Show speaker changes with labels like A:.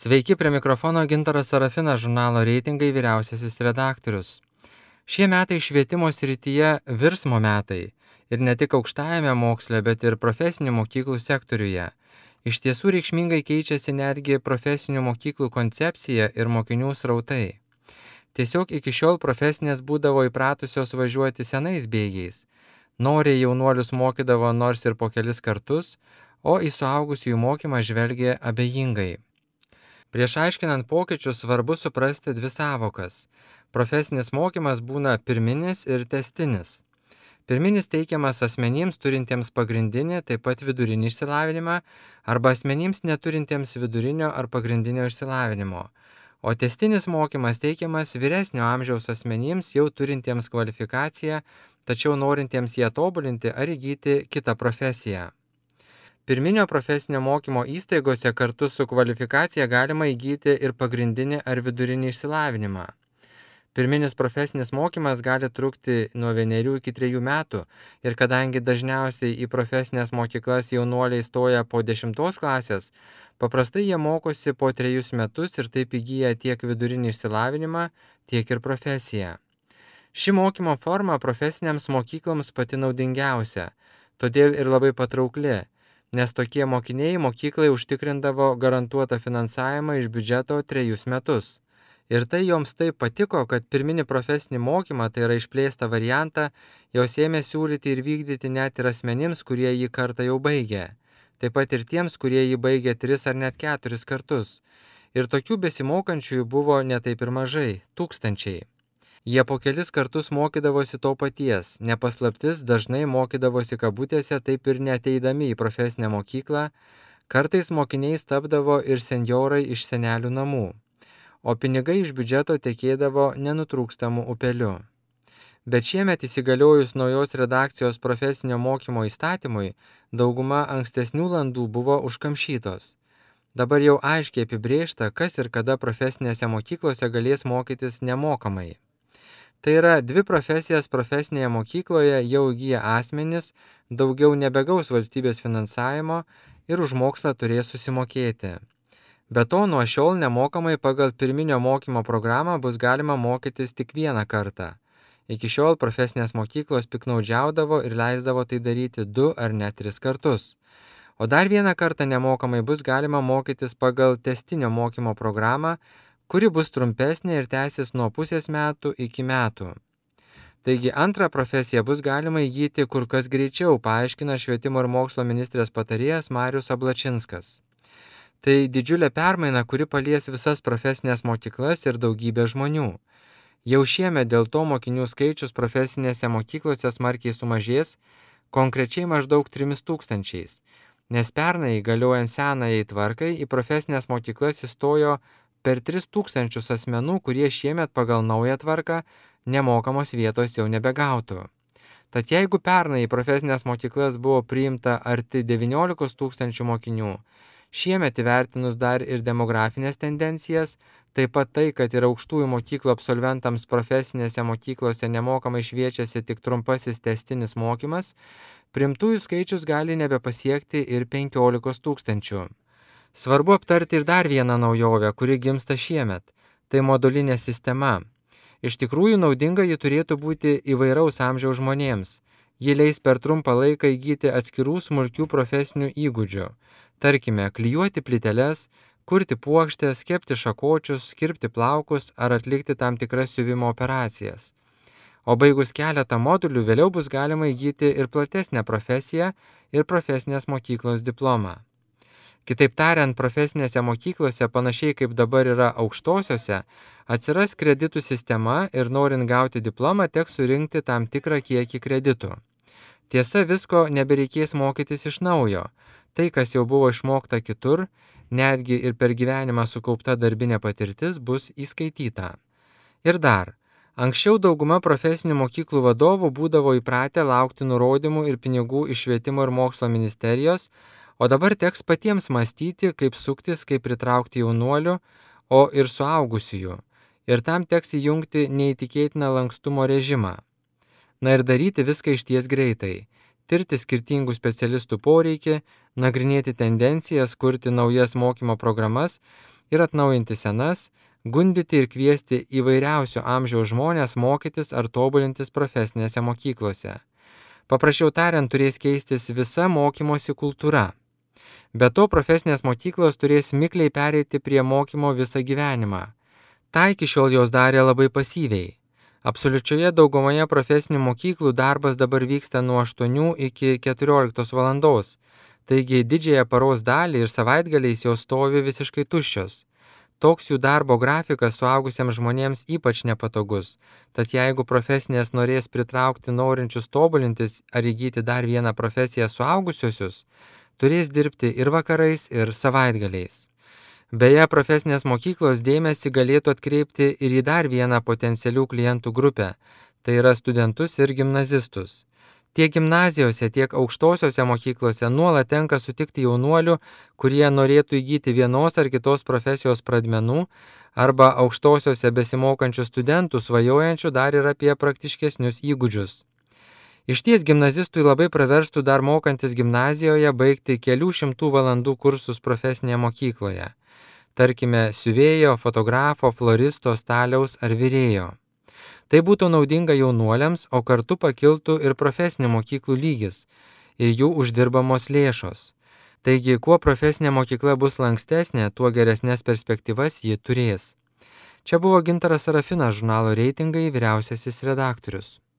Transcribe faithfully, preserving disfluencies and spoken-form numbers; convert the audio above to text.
A: Sveiki, prie mikrofono Gintaras Sarafinas, žurnalo Reitingai vyriausiasis redaktorius. Šie metai švietimo srityje virsmo metai ir ne tik aukštajame moksle, bet ir profesinių mokyklų sektoriuje. Iš tiesų reikšmingai keičiasi netgi profesinių mokyklų koncepcija ir mokinių srautai. Tiesiog iki šiol profesinės būdavo įpratusios važiuoti senais bėgiais. Noriai jaunuolius mokydavo nors ir po kelis kartus, o į suaugusiųjų mokymą žvelgė abejingai. Prieš aiškinant pokyčius svarbu suprasti dvi sąvokas. Profesinis mokymas būna pirminis ir tęstinis. Pirminis teikiamas asmenims turintiems pagrindinį, taip pat vidurinį išsilavinimą, arba asmenims neturintiems vidurinio ar pagrindinio išsilavinimo. O tęstinis mokymas teikiamas vyresnio amžiaus asmenims jau turintiems kvalifikaciją, tačiau norintiems ją tobulinti ar įgyti kitą profesiją. Pirminio profesinio mokymo įstaigose kartu su kvalifikacija galima įgyti ir pagrindinį ar vidurinį išsilavinimą. Pirminis profesinis mokymas gali trukti nuo vienerių iki trejų metų ir kadangi dažniausiai į profesinės mokyklas jaunuoliai stoja po dešimtos klasės, paprastai jie mokosi po trejus metus ir taip įgyja tiek vidurinį išsilavinimą, tiek ir profesiją. Ši mokymo forma profesinėms mokykloms pati naudingiausia, todėl ir labai patraukli, nes tokie mokiniai mokyklai užtikrindavo garantuotą finansavimą iš biudžeto trejus metus. Ir tai joms taip patiko, kad pirminį profesinį mokymą, tai yra išplėstą variantą, jos ėmė siūlyti ir vykdyti net ir asmenims, kurie jį kartą jau baigė. Taip pat ir tiems, kurie jį baigė tris ar net keturis kartus. Ir tokių besimokančiųjų buvo ne taip ir mažai, tūkstančiai. Jie po kelis kartus mokydavosi to paties, nepaslaptis dažnai mokydavosi kabutėse taip ir neateidami į profesinę mokyklą, kartais mokiniais tapdavo ir senjorai iš senelių namų, o pinigai iš biudžeto tekėdavo nenutrūkstamų upeliu. Bet šiemet įsigaliojus naujos redakcijos profesinio mokymo įstatymui, dauguma ankstesnių landų buvo užkamšytos. Dabar jau aiškiai apibrėžta, kas ir kada profesinėse mokyklose galės mokytis nemokamai. Tai yra, dvi profesijas profesinėje mokykloje jau įgyja asmenys, daugiau nebegaus valstybės finansavimo ir už mokslą turės susimokėti. Be to, nuo šiol nemokamai pagal pirminio mokymo programą bus galima mokytis tik vieną kartą. Iki šiol profesinės mokyklos piknaudžiaudavo ir leisdavo tai daryti du ar net tris kartus. O dar vieną kartą nemokamai bus galima mokytis pagal tęstinio mokymo programą, kuri bus trumpesnė ir tęsis nuo pusės metų iki metų. Taigi antrą profesiją bus galima įgyti kur kas greičiau, paaiškina švietimo ir mokslo ministrės patarėjas Marius Ablačinskas. Tai didžiulė permaina, kuri palies visas profesinės mokyklas ir daugybę žmonių. Jau šiemet dėl to mokinių skaičius profesinėse mokyklose smarkiai sumažės, konkrečiai maždaug trimis tūkstančiais, nes pernai galiojant senajai tvarkai į profesinės mokyklas įstojo per tris tūkstančius asmenų, kurie šiemet pagal naują tvarką nemokamos vietos jau nebegautų. Tad jeigu pernai į profesinės mokyklas buvo priimta arti devyniolikos tūkstančių mokinių, šiemet įvertinus dar ir demografinės tendencijas, taip pat tai, kad ir aukštųjų mokyklų absolventams profesinėse mokyklose nemokamai šviečiasi tik trumpasis tęstinis mokymas, priimtųjų skaičius gali nebepasiekti ir penkiolikos tūkstančių. Svarbu aptarti ir dar vieną naujovę, kuri gimsta šiemet. Tai modulinė sistema. Iš tikrųjų naudinga ji turėtų būti įvairaus amžiaus žmonėms. Ji leis per trumpą laiką įgyti atskirų smulkių profesinių įgūdžių. Tarkime, klijuoti plyteles, kurti puokštės, kepti šakočius, kirpti plaukus ar atlikti tam tikras siuvimo operacijas. O baigus keletą modulių vėliau bus galima įgyti ir platesnę profesiją ir profesinės mokyklos diplomą. Kitaip tariant, profesinėse mokyklose, panašiai kaip dabar yra aukštosiose, atsiras kreditų sistema ir norint gauti diplomą teks surinkti tam tikrą kiekį kreditų. Tiesa, visko nebereikės mokytis iš naujo. Tai, kas jau buvo išmokta kitur, netgi ir per gyvenimą sukaupta darbinė patirtis, bus įskaityta. Ir dar, anksčiau dauguma profesinių mokyklų vadovų būdavo įpratę laukti nurodymų ir pinigų iš švietimo ir mokslo ministerijos, o dabar teks patiems mąstyti, kaip suktis, kaip pritraukti jaunuolių, o ir suaugusiųjų. Ir tam teks įjungti neįtikėtiną lankstumo režimą. Na ir daryti viską išties greitai. Tirti skirtingų specialistų poreikį, nagrinėti tendencijas, kurti naujas mokymo programas ir atnaujinti senas, gundyti ir kviesti įvairiausio amžiaus žmonės mokytis ar tobulintis profesinėse mokyklose. Paprasčiau tariant, turės keistis visa mokymosi kultūra. Be to, profesinės mokyklos turės mikliai pereiti prie mokymo visą gyvenimą. Ta iki šiol jos darė labai pasyviai. Absoliučioje daugumoje profesinių mokyklų darbas dabar vyksta nuo aštuonių iki keturioliktos valandos, taigi didžiąją paros dalį ir savaitgaliais jos stovi visiškai tuščios. Toks jų darbo grafikas suaugusiems žmonėms ypač nepatogus, tad jeigu profesinės norės pritraukti norinčius tobulintis ar įgyti dar vieną profesiją suaugusiosius, turės dirbti ir vakarais, ir savaitgaliais. Beje, profesinės mokyklos dėmesį galėtų atkreipti ir į dar vieną potencialių klientų grupę, tai yra studentus ir gimnazistus. Tiek gimnazijose, tiek aukštosiose mokyklose nuolat tenka sutikti jaunuolių, kurie norėtų įgyti vienos ar kitos profesijos pradmenų, arba aukštosiose besimokančių studentų svajojančių dar ir apie praktiškesnius įgūdžius. Išties gimnazistui labai praverstų dar mokantis gimnazijoje baigti kelių šimtų valandų kursus profesinėje mokykloje. Tarkime, siuvėjo, fotografo, floristo, staliaus ar virėjo. Tai būtų naudinga jaunuoliams, o kartu pakiltų ir profesinių mokyklų lygis ir jų uždirbamos lėšos. Taigi, kuo profesinė mokykla bus lankstesnė, tuo geresnės perspektyvas ji turės. Čia buvo Gintaras Sarafinas, žurnalo Reitingai vyriausiasis redaktorius.